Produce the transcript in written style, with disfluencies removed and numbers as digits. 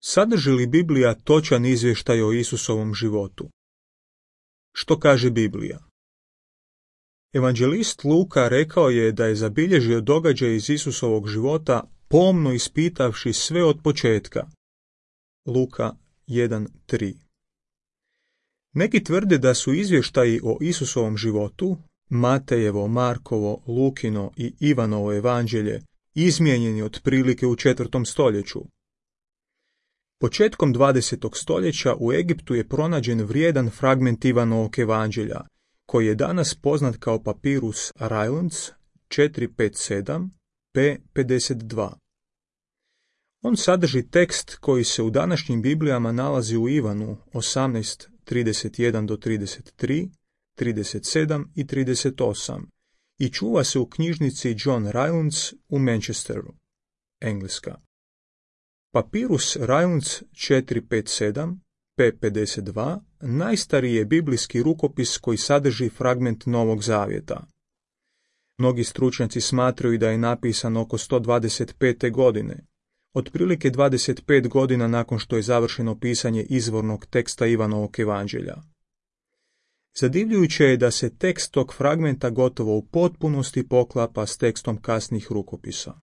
Sadrži li Biblija točan izvještaj o Isusovom životu? Što kaže Biblija? Evanđelist Luka rekao je da je zabilježio događaj iz Isusovog života pomno ispitavši sve od početka. Luka 1:3. Neki tvrde da su izvještaji o Isusovom životu, Matejevo, Markovo, Lukino i Ivanovo evanđelje, izmijenjeni otprilike u 4. stoljeću. Početkom 20. stoljeća u Egiptu je pronađen vrijedan fragment Ivanovog evanđelja, koji je danas poznat kao papirus Rylands 457 p. 52. On sadrži tekst koji se u današnjim Biblijama nalazi u Ivanu 18:31-33, 37 i 38 i čuva se u knjižnici John Rylands u Manchesteru, Engleska. Papirus Rylands 457 p. 52 najstariji je biblijski rukopis koji sadrži fragment Novog Zavjeta. Mnogi stručnjaci smatraju da je napisan oko 125. godine, otprilike 25 godina nakon što je završeno pisanje izvornog teksta Ivanovog evanđelja. Zadivljujuće je da se tekst tog fragmenta gotovo u potpunosti poklapa s tekstom kasnih rukopisa.